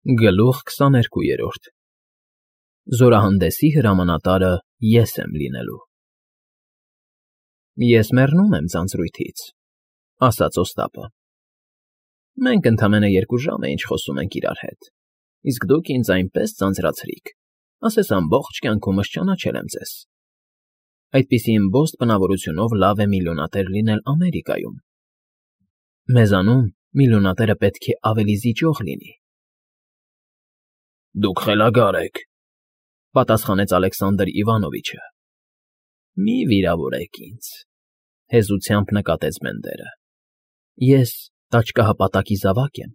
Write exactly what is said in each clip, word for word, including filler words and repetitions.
Գլուխ քսաներկուերորդ Զորահանդեսի հրամանատարը ես եմ լինելու։ Ես մեռնում եմ ձանձրույթից, ասաց Օստապը։ Մենք ընդամենը երկու ժամ է ինչ խոսում ենք իրար հետ, իսկ դուք ինձ այնպես ձանձրացրիք, ասես ամբողջ կյանքումս ճանաչել եմ ձեզ։ Այդպիսի ըմբոստ բնավորությունով լավ է միլիոնատեր լինել Ամերիկայում։ Մեզանում միլիոնատերը պետք է ավելի զիջող լինի։ Դուք խելագար եք, պատասխանեց Ալեքսանդր Իվանովիչը։ Մի վիրավորեք ինձ, հեզությամբ նկատեց Բենդերը։ Ես տաճկահապատակի զավակ եմ,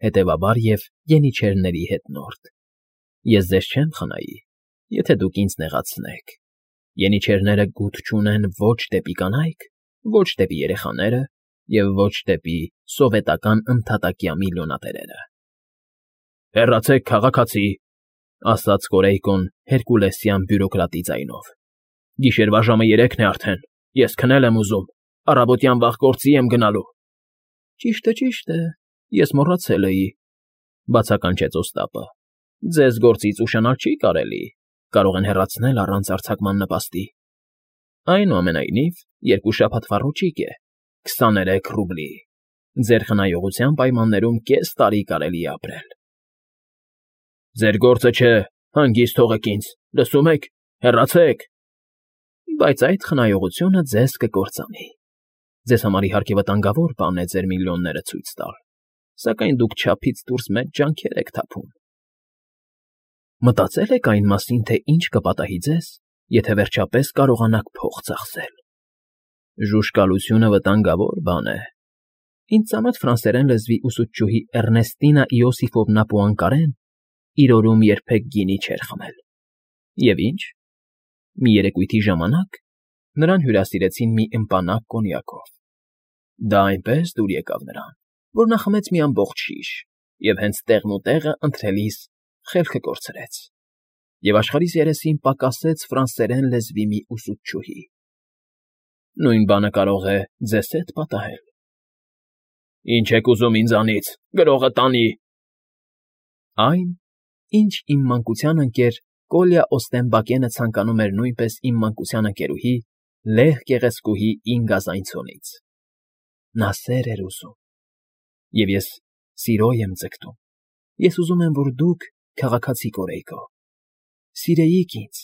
հետևաբար և ենիչերների հետնորդ։ Ես ձեզ չեմ խնայի, եթե դուք ինձ նեղացնեք։ Ենիչերները գութ չունեն ոչ դեպի կանայք, ոչ դեպի երեխաները և ոչ դեպի սովետական ընդհատակյա միլիոնատերերը։ Հեռացեք, քաղաքացի, ասաց Կորեյկոն հերկուլեսյան բյուրոկրատի ձայնով։ Գիշերվա ժամը երեքն է արդեն, ես քնել եմ ուզում, առավոտյան վաղ գործի եմ գնալու։ Ճիշտ է, ճիշտ է, ես մոռացել էի, բացականչեց Օստապը։ Ձեզ գործից ուշանալ չի կարելի, կարող են հեռացնել առանց արձակման նպաստի։ Այնուամենայնիվ, երկու շաբաթվա ռոճիկ է, քսաներեք ռուբլի։ Ձեր խնայողության պայմաններում կես տարի կարելի է ապրել։ Ձեր գործը չէ, հանգիստ թողեք ինձ, լսում եք, հեռացեք։ Բայց այդ խնայողությունը ձեզ կկործանի։ Ձեզ համար իհարկե վտանգավոր բան է ձեր միլիոնները ցույց տալ, սակայն դուք չափից դուրս մեծ ջանքեր եք թափում։ Մտածել եք այն մասին, թե ինչ կպատահի ձեզ, եթե վերջապես կարողանաք փող ծախսել։ Ժուժկալությունը վտանգավոր բան է։ Ինձ ծանոթ ֆրանսերեն լեզվի ուսուցչուհի Էռնեստինա Իոսիֆովնա Պուանկարեն իր օրում երբեք գինի չէր խմել։ Եվ ինչ։ Մի երեկույթի ժամանակ նրան հյուրասիրեցին մի ըմպանակ կոնյակով։ Դա այնպես դուր եկավ նրան, որ նա խմեց մի ամբողջ շիշ և հենց տեղն ու տեղը ընթրելիս խելքը կորցրեց։ Եվ աշխարհիս երեսին պակասեց ֆրանսերեն լեզվի մի ուսուցչուհի։ Նույն բանը կարող է ձեզ հետ պատահել։ Ինչ եք ուզում ինձանից, գրողը տանի։ Այն, ինչ իմ մանկության ընկեր Կոլյա Օստեմբակենը ցանկանում էր նույնպես իմ մանկության ընկերուհի Լեհ գեղեցկուհի Ինգա Զայնցոնից։ Նա սեր էր ուզում։ Եվ ես սիրո եմ ձգտում։ Ես ուզում եմ, որ դուք, քաղաքացի Կորեյկո, սիրեիք ինձ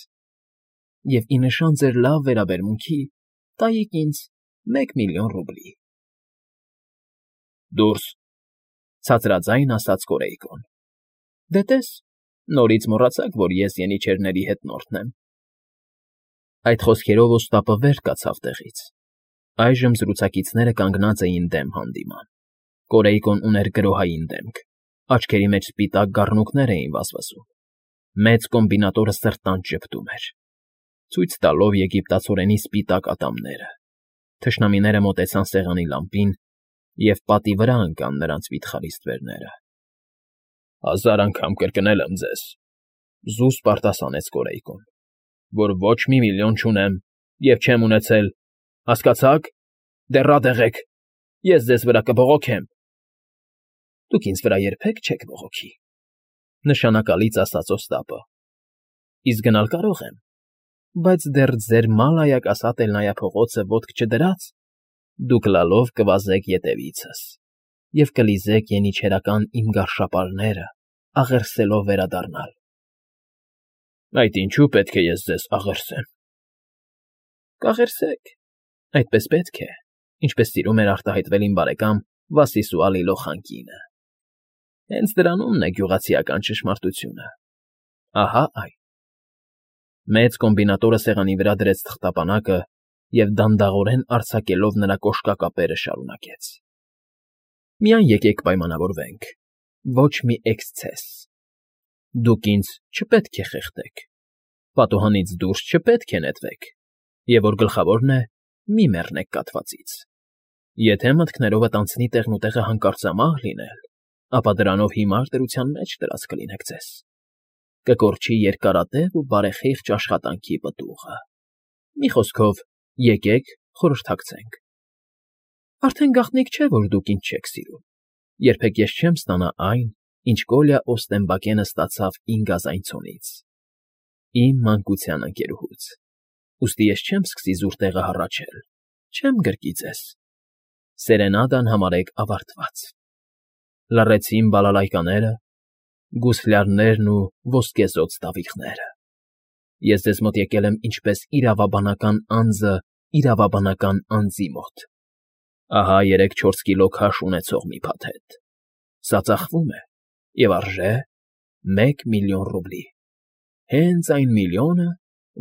և ի նշան ձեր լավ վերաբերմունքի տայիք ինձ մեկ միլիոն ռուբլի։ Դուրս, ցածրաձայն ասաց Կորեյկոն։ Դե տես, նորից մոռացաք, որ ես ենիչերների հետնորդն եմ։ Այդ խոսքերով Օստապը վեր կացավ տեղից։ Այժմ զրուցակիցները կանգնած էին դեմ հանդիման։ Կորեյկոն ուներ գրոհային դեմք, աչքերի մեջ սպիտակ գառնուկներ էին վազվզում։ Մեծ կոմբինատորը սրտանց ժպտում էր, ցույց տալով եգիպտացորենի սպիտակ ատամները։ Թշնամիները մոտեցան սեղանի լամպին, և պատի վրա ընկան նրանց վիթխարի ստվերները։ Հազար անգամ կրկնել եմ ձեզ, զուսպ արտասանեց Կորեյկոն, որ ոչ մի միլիոն չունեմ և չեմ ունեցել, հասկացա՞ք, դեռ ատեղ եք, ես ձեզ վրա կբողոքեմ։ Դուք ինձ վրա երբեք չեք բողոքի, նշանակալից ասաց Օստապը։ Իսկ գնալ կարող եմ, բայց դեռ ձեր մալայակասատ փողոցը ոտք չդրած, դուք լալով կվազեք ետևիցս և կլիզեք ենիչերական իմ գարշապարները, աղերսելով վերադառնալ։ Այդ ինչու պետք է ես ձեզ աղերսեմ։ Կաղերսեք, այդպես պետք է, ինչպես սիրում էր արտահայտվել իմ բարեկամ Վասիսուալի Լոխանկինը։ Հենց դրանումն է գյուղացիական ճշմարտությունը։ Ահա այն։ Մեծ կոմբինատորը սեղանի վրա դրեց թղթապանակը և դանդաղորեն արձակելով նրա կոշկակապերը շարունակեց. Միայն եկեք պայմանավորվենք, ոչ մի էքսցես։ Դուք ինձ չպետք է խեղդեք, պատուհանից դուրս չպետք է նետվեք, և որ գլխավորն է, մի մեռնեք կաթվածից։ Եթե մտքներովդ անցնի տեղնուտեղը հանկարծամահ լինել, ապա դրանով հիմար դրության մեջ դրած կլինեք ձեզ։ Կկորչի երկարատև ու բարեխիղճ աշխատանքի պտուղը։ Մի խոսքով, եկեք խորհրդակցենք։ Արդեն գաղտնիք չէ, որ դուք ինձ չեք սիրում։ Երբեք ես չեմ ստանա այն, ինչ Կոլյա Օստեմբակենը ստացավ իմ գազայնցոնից, իմ մանկության ընկերուհուց, ուստի ես չեմ սկսի զուր տեղը հառաչել, չեմ գրկի ձեզ, սերենադան համարեք ավարտված, լռեցին բալալայկաները, գուսլյարներն ու ոսկեզօծ տավիղները, ես ձեզ մոտ եկել եմ ինչպես իրավաբանական անձը իրավաբանական անձի մոտ, ահա երեք֊չորս կիլո քաշ ունեցող մի փաթեթ, սա ծախվում է և արժե մեկ միլիոն ռուբլի, հենց այն միլիոնը,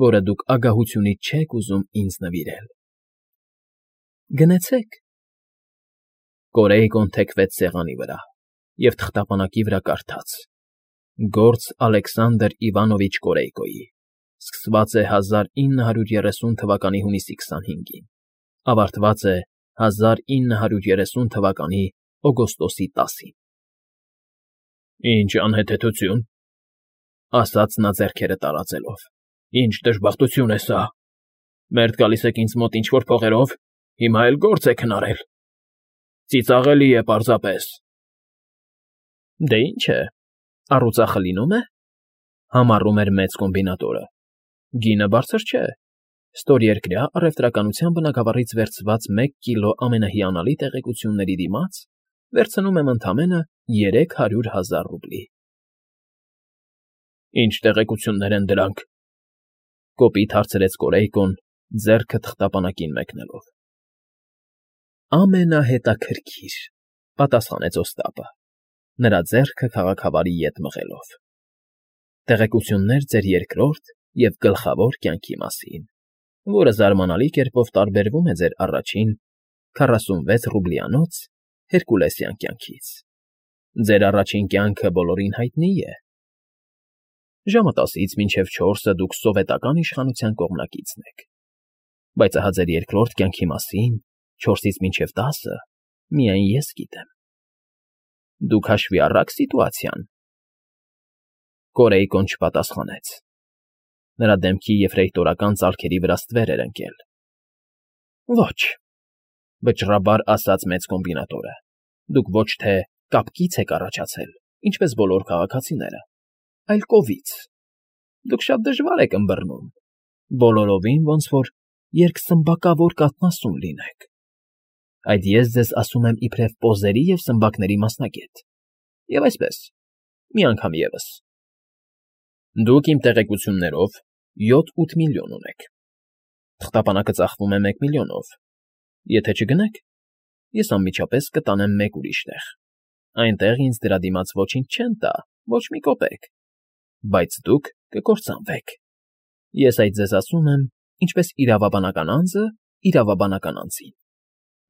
որը դուք ագահությունից չեք ուզում ինձ նվիրել։ Գնեցեք։ Կորեյկոն թեքվեց սեղանի վրա և թղթապանակի վրա կարդաց. Գործ Ալեքսանդր Իվանովիչ Կորեյկոյի, սկսված է հազար ինը հարյուր երեսուն թվականի հունիսի քսանհինգին, ավարտված է հազար ինը հարյուր երեսուն թվականի օգոստոսի տասին։ Ինչ անհեթեթություն, ասաց նա ձեռքերը տարածելով, ինչ դժբախտություն է սա, մերթ գալիս եք ինձ մոտ ինչ֊որ փողերով, հիմա էլ գործ եք հնարել, ծիծաղելի է պարզապես։ Դե ինչ է, առուծախը լինում է, համառում էր մեծ կոմբինատորը, գինը բարձր չէ, ստորերկրյա առևտրականության բնագավառից վերցված մեկ կիլո ամենահիանալի տեղեկությունների դիմաց վերցնում եմ ընդամենը երեք հարյուր հազար ռուբլի։ Ինչ տեղեկություններ են դրանք, կոպիտ հարցրեց Կորեյկոն, ձեռքը թղթապանակին մեկնելով։ Ամենահետաքրքիր, պատասխանեց Օստապը, նրա ձեռքը քաղաքավարի ետ մղելով։ Տեղեկություններ ձեր երկրորդ և գլխավոր կյանքի մասին, որը զարմանալի կերպով տարբերվում է ձեր առաջին քառասունվեց ռուբլյանոց հերկուլեսյան կյանքից։ Ձեր առաջին կյանքը բոլորին հայտնի է։ Ժամը տասից մինչև չորսը դուք սովետական իշխանության կողմնակիցն եք, բայց ահա ձեր երկրորդ կյանքի մասին, չորսից մինչև տասը, միայն ես գիտեմ։ Դուք հաշվի առաք սիտուացիան։ Կորեյկոն չպատասխանեց։ Նրա դեմքի եֆրեյտորական ծալքերի վրա ստվեր էր ընկել։ Ոչ, վճռաբար ասաց մեծ կոմբինատորը, դուք ոչ թե կապկից եք առաջացել, ինչպես բոլոր քաղաքացիները, այլ կովից։ Դուք շատ դժվար եք ըմբռնում, բոլորովին ոնց որ երկսմբակավոր կաթնասուն լինեք։ Այդ ես ձեզ ասում եմ իբրև պոզերի և սմբակների մասնագետ։ Եվ այսպես, մի անգամ ևս։ Դուք իմ տեղեկություններով յոթ֊ութ միլիոն ունեք։ Թղթապանակը ծախվում է մեկ միլիոնով։ Եթե չգնեք, ես անմիջապես կտանեմ մեկ ուրիշ տեղ։ Այնտեղ ինձ դրա դիմաց ոչինչ չեն տա, ոչ մի կոպեկ, բայց դուք կկործանվեք։ Ես այդ ձեզ ասում եմ, ինչպես իրավաբանական անձը իրավաբանական անձին։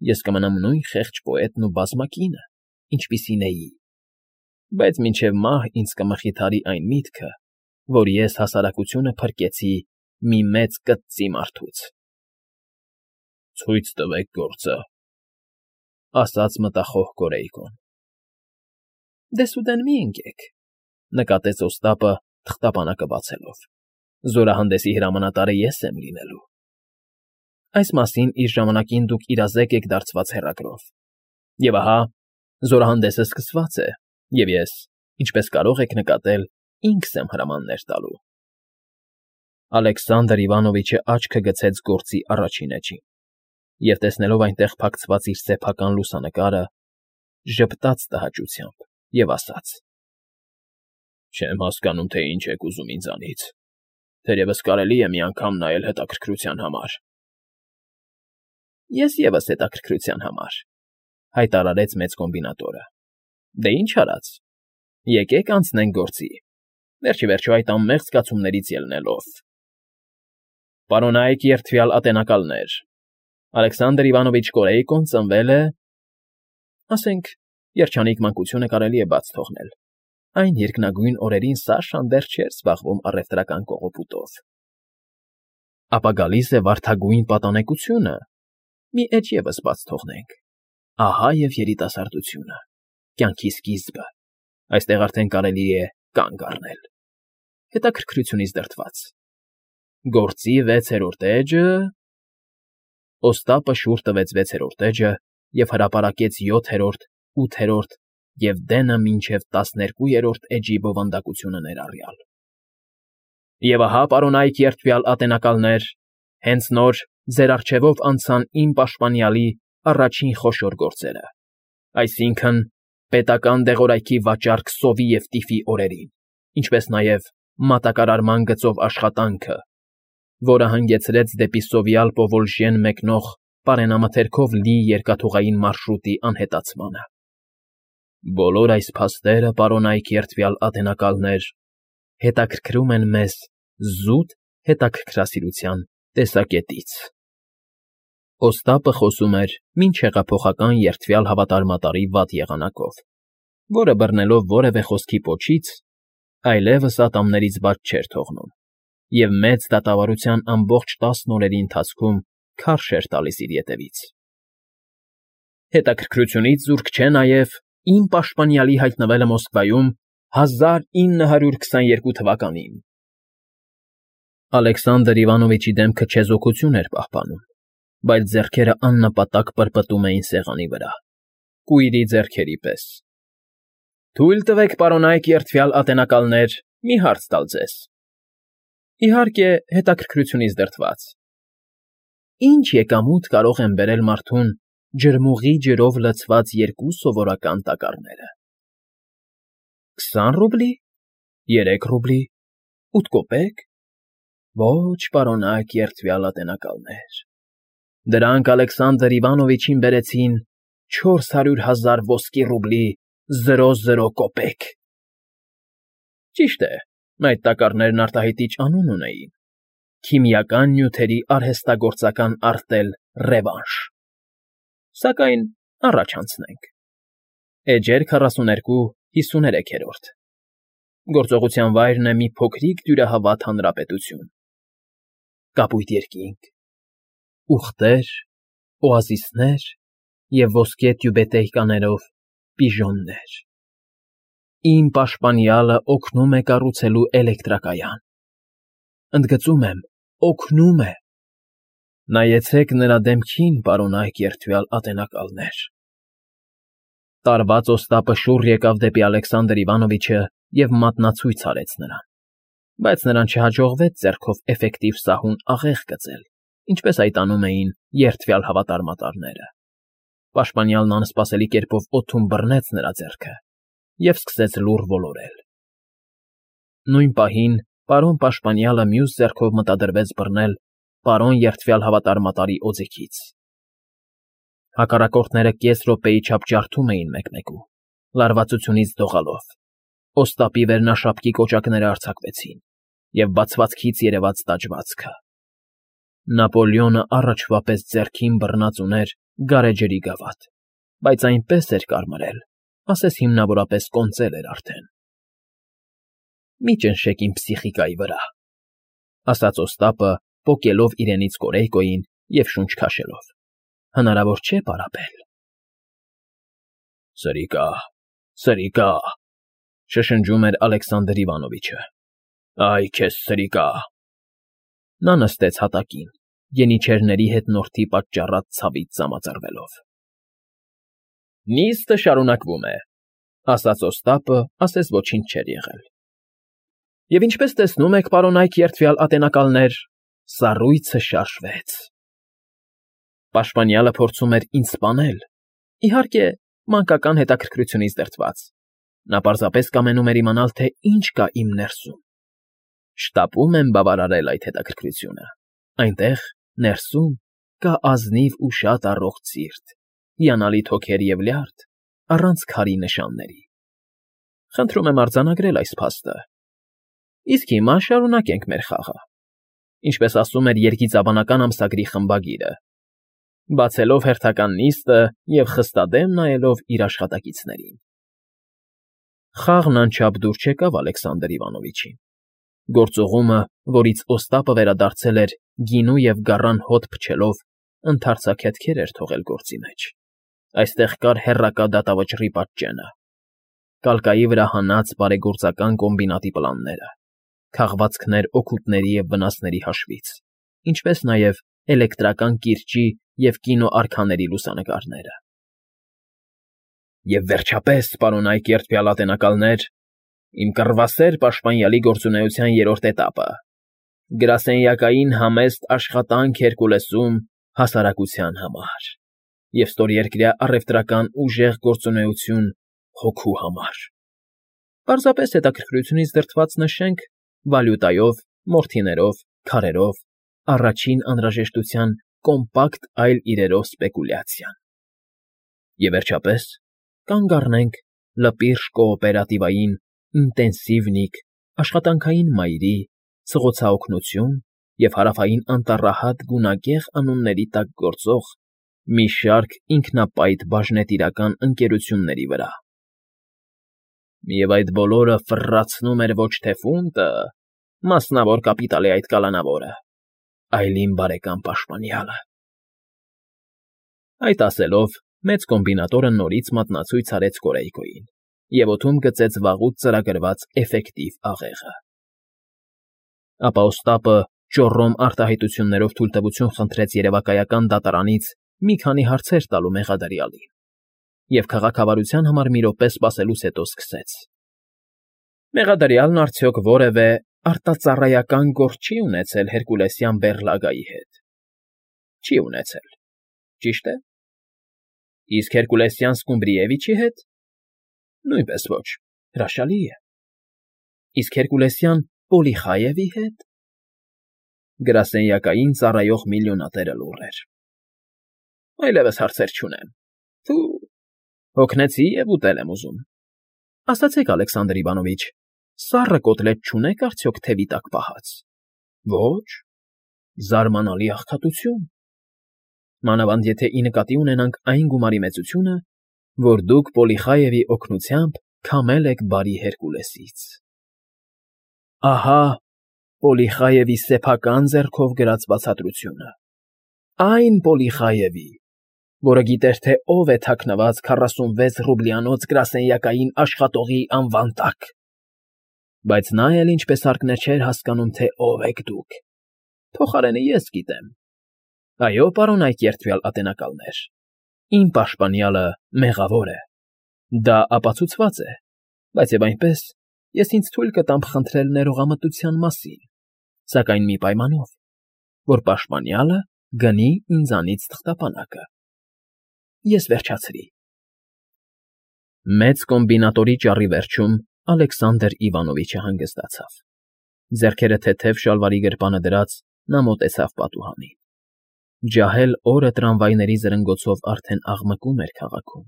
Ես կմնամ նույն խեղճ պոետն ու բազմակինը, ինչպիսին էի, բայց մինչև մահ ինձ կմխիթարի այն միտքը, որ ես հասարակությունը փրկեցի մի մեծ կծծի մարդուց։ Ցույց տվեք գործը, ասաց մտախոհ Կորեյկոն։ Դեսուդեն մի ընկեք, նկատեց Օստապը թղթապանակը բացելով։ Զորահանդեսի հրամանատարը ես եմ լինելու։ Այս մասին իր ժամանակին դուք իրազեկ եք դարձված հեռագրով։ Եվ ահա, զորահանդեսը սկսված է, և ես, ինչպես կարող եք նկատել, ինքս եմ հրամաններ տալու։ Ալեքսանդր Իվանովիչը աչքը գցեց գործի առաջին էջին, և տեսնելով այնտեղ փակցված իր սեփական լուսանկարը, ժպտաց տհաճությամբ և ասաց. Չեմ հասկանում, թե ինչ եք ուզում ինձանից, թերևս կարելի է մի անգամ նայել հետաքրքրության համար։ Ես ևս հետաքրքրության համար, հայտարարեց մեծ կոմբինատորը։ Դե ինչ արած, եկեք անցնենք գործի, վերջիվերջո այդ անմեղ զգացումներից ելնելով։ Պարոնայք երդվյալ ատենակալներ, Ալեքսանդր Իվանովիչ Կորեյկոն ծնվել է, ասենք, երջանիկ մանկությունը կարելի է բաց թողնել, այն երկնագույն օրերին Սաշան դեռ չէր զբաղվում առևտրական կողոպուտով։ Ապա գալիս է վարդագույն պատանեկությունը, մի էջ ևս բաց թողնենք, ահա և երիտասարդությունը, կյանքի սկիզբը, այստեղ արդեն կարելի է կանգ առնել, հետաքրքրությունից դրդված։ Գործի վեցերորդ էջը… Օստապը շուռ տվեց վեցերորդ էջը և հրապարակեց յոթերորդ, ութերորդ, և դենը մինչև տասներկուերորդ էջի բովանդակությունը ներառյալ։ Եվ ահա, պարոնայք երդվյալ ատենակալներ, հենց նոր ձեր առջևով անցան իմ պաշտպանյալի առաջին խոշոր գործերը, այսինքն՝ պետական դեղորայքի վաճառք սովի և տիֆի օրերին, ինչպես նաև մատակարարման գծով աշխատանքը, որը հանգեցրեց դեպի Սովյալ Պովոլժյան մեկնող պարենամթերքով լի երկաթուղային մարշրուտի անհետացմանը։ Բոլոր այս փաստերը, պարոնայք երդվյալ ատենակալներ, հետաքրքրում են մեզ զուտ հետաքրքրասիրության տեսակետից։ Օստապը խոսում էր մինչ հեղափոխական երդվյալ հավատարմատարի վատ եղանակով, որը բռնելով որևէ խոսքի պոչից, այլևս ատամներից բաց չէր թողնում և մեծ դատավարության ամբողջ տասն օրերի ընթացքում քարշ էր տալիս իր ետևից։ Հետաքրքրությունից զուրկ չէ նաև իմ պաշտպանյալի հայտնվելը Մոսկվայում հազար ինը հարյուր քսաներկու թվականին։ Ալեքսանդր Իվանովիչի դեմքը չեզոքություն էր պահպանում, բայց ձեռքերը աննպատակ պրպտում էին սեղանի վրա, կույրի ձեռքերի պես։ Թույլ տվեք, պարոնայք երդվյալ ատենակալներ, մի հարց տալ ձեզ։ Իհարկե, հետաքրքրությունից դրդված. Ինչ եկամուտ կարող են բերել մարդուն ջրմուղի ջրով լցված երկու սովորական տակառները։ Քսան ռուբլի, երեք ռուբլի, ութ կոպեկ։ Ոչ, պարոնայք երդվյալ ատենակալներ, դրանք Ալեքսանդր Իվանովիչին բերեցին չորս հարյուր հազար ոսկի ռուբլի զրո զրո կոպեկ։ Ճիշտ է, այդ տակառներն արտահայտիչ անուն ունեին. քիմիական նյութերի արհեստագործական արտել Ռևանշ։ Սակայն առաջ անցնենք։ Էջեր քառասուներկու հիսուներեքերորդ Գործողության վայրն է մի փոքրիկ դյուրահավատ հանրապետություն։ Կապույտ երկինք, ուղտեր, օազիսներ և ոսկե տյուբետեյկաներով պիժոններ։ Իմ պաշտպանյալը օգնում է կառուցելու էլեկտրակայան։ Ընդգծում եմ, օգնում է։ Նայեցեք նրա դեմքին, պարոնայք երդվյալ ատենակալներ։ Տարված Օստապը շուռ եկավ դեպի Ալեքսանդր Իվանովիչը և մատնացույց արեց նրան, բայց նրան չհաջողվեց ձեռքով էֆեկտիվ սահուն աղեղ գծել, ինչպես այդ անում էին երդվյալ հավատարմատարները։ Պաշտպանյալն անսպասելի կերպով օդում բռնեց նրա ձեռքը և սկսեց լուռ ոլորել։ Նույն պահին պարոն պաշտպանյալը մյուս ձեռքով մտադրվեց բռնել պարոն երդվյալ հավատարմատարի օձիքից։ Հակառակորդները կես րոպեի չափ ջարդում էին մեկմեկու, լարվածությունից դողալով։ Օստապի վերնաշապկի կոճակները արձակվեցին, և բացվածքից երևաց տաճվածքը։ Նապոլեոնը առաջվա պես ձեռքին բռնած ուներ գարեջրի գավաթ, բայց այնպես էր կարմրել, ասես հիմնավորապես կոնծել էր արդեն։ Մի ճնշեք իմ պսիխիկայի վրա, ասաց Օստապը, պոկելով իրենից Կորեյկոյին և շունչ քաշելով։ Հնարավոր չէ պարապել։ Սրիկա, սրիկա, շշնջում էր Ալեքսանդր Իվանովիչը։ Այ քեզ սրիկա։ Նա նստեց հատակին, յենիչերների հետնորդի պատճառած ցավից ծամածրվելով։ Նիստը շարունակվում է, ասաց Օստապը, ասես ոչինչ չէր եղել։ Եվ ինչպես տեսնում եք, պարոնայք երդվյալ ատենակալներ, սառույցը շարժվեց։ Պաշտպանյալը փորձում էր ինձ սպանել, իհարկե, մանկական հետաքրքրությունից դրդված։ Նա պարզապես կամենում էր իմանալ, թե ինչ կա իմ ներսում։ Շտապում եմ բավարարել այդ հետաքրքրությունը։ Այնտեղ, ներսում, կա ազնիվ ու շատ առողջ սիրտ, հիանալի թոքեր և լյարդ, առանց քարի նշանների։ Խնդրում եմ արձանագրել այս փաստը։ Իսկ հիմա շարունակենք մեր խաղը։ Ինչպես ասում էր երգիծաբանական ամսագրի խմբագիրը, բացելով հերթական նիստը և խստադեմ նայելով իր աշխատակիցներին։ Խաղն անչափ դուր չեկավ Ալեքսանդր Իվանովիչին։ Գործուղումը, որից Օստապը վերադարձել էր գինու և գառան հոտ փչելով, ընդարձակ հետքեր էր թողել գործի մեջ։ Այստեղ կար հեռակա դատավճռի պատճենը, կալկայի վրա հանած բարեգործական կոմբինատի պլանները, քաղվածքներ օգուտների և վնասների հաշվից, ինչպես նաև էլեկտրական կիրճի և կինոարքաների լուսանկարները։ Եվ վերջապես, պարոն Այկերտ փյալատենակալներ, իմ կռվասեր պաշտպանյալի գործունեության երրորդ էտապը. գրասենյակային համեստ աշխատանք Հերկուլեսում հասարակության համար և ստորերկրյա առևտրական ուժեղ գործունեություն հոգու համար։ Պարզապես հետաքրքրությունից դրդված նշենք վալյուտայով, մորթիներով, քարերով, առաջին անհրաժեշտության կոմպակտ այլ իրերով սպեկուլյացիան։ Եվ վերջապես, կանգ առնենք լպիրշ կոոպերատիվային, ինտենսիվնիկ, աշխատանքային մայրի, սղոցաօգնություն և հարավային անտառահատ գունագեղ անունների տակ գործող մի շարք ինքնապայծ բաժնետիրական ընկերությունների վրա։ Եվ այդ բոլորը ֆռռացնում էր ոչ թե ֆունդը, մասնավոր կապիտալի այդ կալանավորը, այլ իմ բարեկամ պաշտպանյալը… Այդ ասելով, մեծ կոմբինատորը նորից մատնացույց արեց Կորեյկոյին և օդում գծեց վաղուց ծրագրված էֆեկտիվ աղեղը։ Ապա Օստապը ճոռոմ արտահայտություններով թույլտվություն խնդրեց երևակայական դատարանից մի քանի հարցեր տալու մեղադրյալին և քաղաքավարության համար մի րոպե սպասելուց հետո սկսեց. Մեղադրյալն արդյոք որևէ արտածառայական գործ չի ունեցել հերկուլեսյան բեռլագայի հետ։ Չի ունեցել, ճիշտ է։ Իսկ Հերկուլեսյան Սկումբրիևիչի հետ։ Նույնպես ոչ, հրաշալի է։ Իսկ Հերկուլեսյան Պոլիխայևի հետ։ Գրասենյակային ծառայող միլիոնատերը լուռ էր։ Այլևս հարցեր չունեմ, թու, հոգնեցի և ուտել եմ ուզում։ Ասացեք, Ալեքսանդր Իվանովիչ, սառը կոտլետ չունե՞ք արդյոք թևի տակ պահած։ Ոչ։ Զարմանալի աղքատություն։ Մանավանդ եթե ի նկատի ունենանք այն գումարի մեծությունը, որ դուք Պոլիխայևի օգնությամբ քամել եք բարի Հերկուլեսից։ Ահա Պոլիխայևի սեփական ձեռքով գրած բացատրությունը։ Այն Պոլիխայևի, որը գիտեր, թե ով է թաքնված քառասունվեց ռուբլյանոց գրասենյակային աշխատողի անվան տակ։ Բայց նա էլ ինչպես հարկներ չէր հասկանում, թե ով եք դուք։ Փոխարենը ես գիտեմ։ Այո, պարոն Այկերտ փյալատենակալներ, իմ պաշտպանյալը մեղավոր է։ Դա ապացուցված է, բայց և այնպես ես ինձ թույլ կտամ խնդրել ներողամտության մասին, սակայն մի պայմանով, որ պաշտպանյալը գնի ինձանից թղթապանակը։ Ես վերջացրի։ Մեծ կոմբինատորի ճառի վերջում Ալեքսանդր Իվանովիչը հանգստացավ։ Ձեռքերը թեթև շալվարի գրպանը դրած՝ նա մոտեցավ պատուհանին։ Ջահել օրը տրամվայների զրնգոցով արդեն աղմկում էր քաղաքում։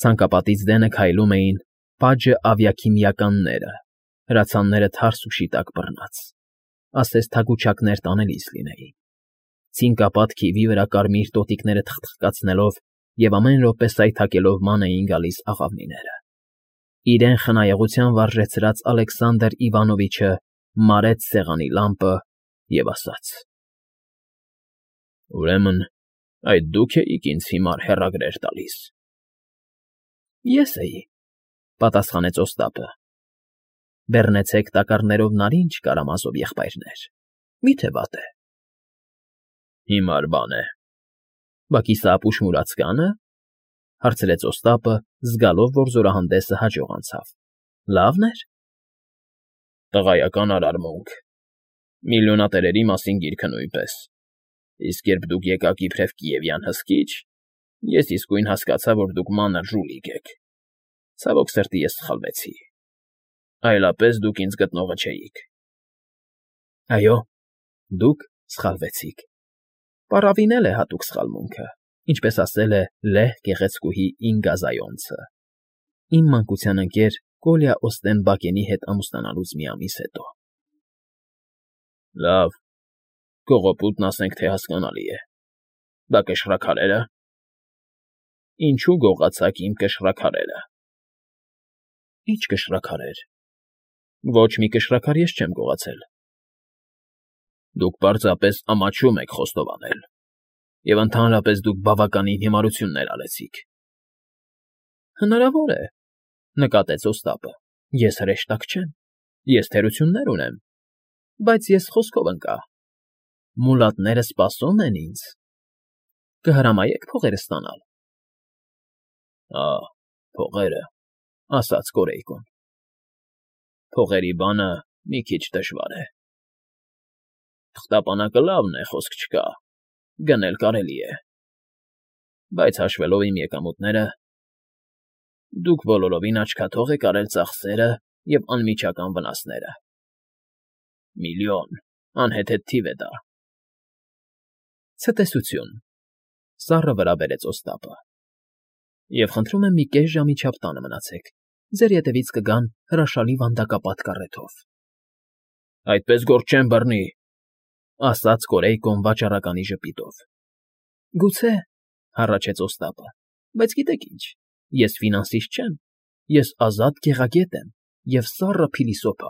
Ցանկապատից դենը քայլում էին պաջը ավիաքիմիականները, հրացանները թարս ու շիտակ բռնած, ասես թագուչակներ տանելիս լինեին, ցինկապատ քիվի վրա կարմիր տոտիկները թխթխկացնելով և ամեն րոպե սայթաքելով ման էին գալիս աղավնիները։ Իրեն խնայողության վարժեցրած Ալեքսանդր Իվանովիչը մարեց սեղանի լամպը և ասաց. Ուրեմն այդ դուք էիք ինձ հիմար հեռագրեր տալիս։ Ես էի, պատասխանեց Օստապը։ Բեռնեցեք տակառներով նարինջ, Կարամազով եղբայրներ, մի՞թե վատ է։ Հիմար բան է։ Բա կիսաապուշ մուրացկա՞նը, հարցրեց Օստապը, զգալով, որ զորահանդեսը հաջող անցավ։ Լավն էր։ Տղայական արարմունք։ Միլիոնատերերի մասին գիրքը նույնպես։ Իսկ երբ դուք եկաք իբրև կիևյան հսկիչ, ես իսկույն հասկացա, որ դուք մանր ժուլիկ եք։ Ցավոք սրտի ես սխալվեցի։ Այլապես դուք ինձ գտնողը չէիք։ Այո, դուք սխալվեցիք։ Պառավին էլ է հատուկ սխալմունքը, ինչպես ասել է լեհ գեղեցկուհի Ինգազայոնցը, իմ մանկության ընկեր Կոլյա Օստեն֊Բակենի հետ ամուսնանալուց մի ամիս հետո։ Լավ, կողոպուտն ասենք թե հասկանալի է, բա կշռաքարերը… Ինչու գողացաք իմ կշռաքարերը։ Ի՞նչ կշռաքարեր։ Ոչ մի կշռաքար ես չեմ գողացել։ Դուք պարզապես ամաչում եք խոստովանել, և ընդհանրապես դուք բավականին հիմարություններ արեցիք։ Հնարավոր է, նկատեց Օստապը, ես հրեշտակ չեմ, ես թերություններ ունեմ, բայց ես խոսքով ընկա։ Մուլատները սպասում են ինձ։ Կհրամայե՞ք փողերը ստանալ։ Ա, փողերը, ասաց Կորեյկոն։ Փողերի բանը մի քիչ դժվար է։ Թղթապանակը լավն է, խոսք չկա, գնել կարելի է, բայց հաշվելով իմ եկամուտները, դուք բոլորովին աչքաթող եք արել ծախսերը և անմիջական վնասները։ Միլիոն, անհեթեթ թիվ է դա։ Ցտեսություն, սառը վրա բերեց Օստապը։ Եվ խնդրում եմ մի կես ժամի չափ տանը մնացեք, ձեր ետևից կգան հրաշալի վանդակապատ կառեթով։ Այդպես գործ չեմ բռնի, ասաց Կորեյկոն վաճառականի ժպիտով։ Գուցե, հառաչեց Օստապը, բայց գիտեք ինչ, ես ֆինանսիստ չեմ, ես ազատ գեղագետ եմ և սառը փիլիսոփա։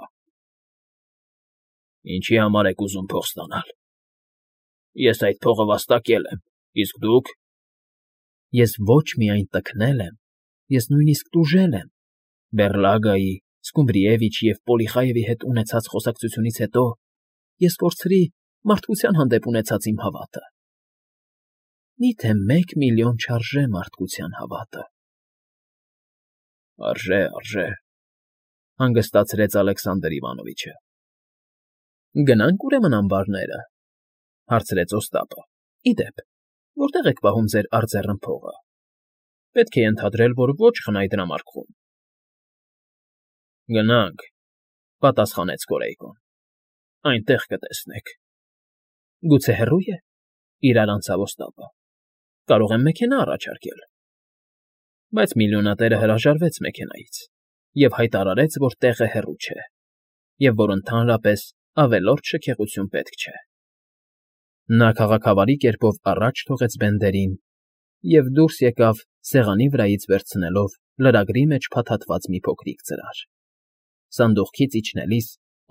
Ինչի համար եք ուզում փող ստանալ։ Ես այդ փողը վաստակել եմ, իսկ դուք։ Ես ոչ միայն տքնել եմ, ես նույնիսկ տուժել եմ, Բեռլագայի, Սկումբրիևիչի և Պոլիխայևի հետ ունեցած խոսակցությունից հետո ես կորցրի մարդկության հանդեպ ունեցած իմ հավատը։ Մի՞թե մեկ միլիոն չարժե մարդկության հավատը։ Արժե, արժե, հանգստացրեց Ալեքսանդր Իվանովիչը։ Գնանք ուրեմն ամբարները, հարցրեց Օստապը։ Ի դեպ, որտե՞ղ եք պահում ձեր արձեռն փողը։ Պետք է ենթադրել, որ ոչ խնայդրամարկղում։ Գնանք, պատասխանեց Կորեյկոն։ Այնտեղ կտեսնեք։ Գուցե հեռո՞ւ է, իրար անցավ Օստապը։ Կարող եմ մեքենա առաջարկել։ Բայց միլիոնատերը հրաժարվեց մեքենայից և հայտարարեց, որ տեղը հեռու չէ, և որ ընդհանրապես ավելորդ շքեղություն պետք չէ։ Նա քաղաքավարի կերպով առաջ թողեց Բենդերին և դուրս եկավ սեղանի վրայից վերցնելով լրագրի մեջ փաթաթված մի փոքրիկ ծրար։ Սանդուղքից իջնելիս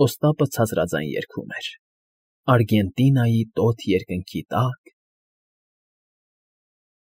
Օստապը ցածրաձայն երգում էր. Արգենտինայի տոթ երկնքի տակ։